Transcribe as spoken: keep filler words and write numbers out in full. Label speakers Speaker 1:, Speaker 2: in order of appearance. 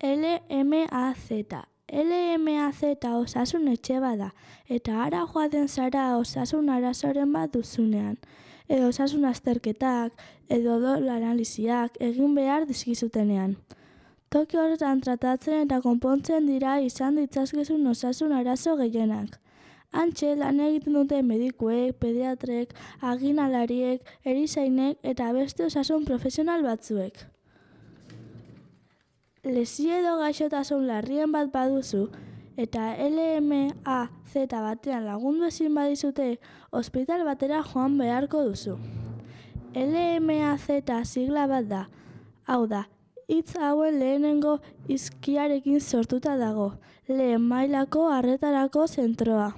Speaker 1: L M A Z. L M A Z osasun etxe bada, eta ara joaten zara osasun arazoren bat duzunean, edo osasun azterketak, edo odol analisiak egin behar dizkizutenean. Toki horretan tratatzen eta konpontzen dira izan ditzazkezun osasun arazo gehienak. Hantxe lan egiten dute medikuek, pediatrek, aginalariek, erizainek eta beste osasun profesional batzuek. Lesio edo gaixotasun larrien bat baduzu eta L M A Z batean lagundu ezin badizute, ospital batera joan beharko duzu. L M A Z sigla bat da, hau da, hitz hauen lehenengo hizkiarekin sortuta dago, lehen mailako arretarako zentroa.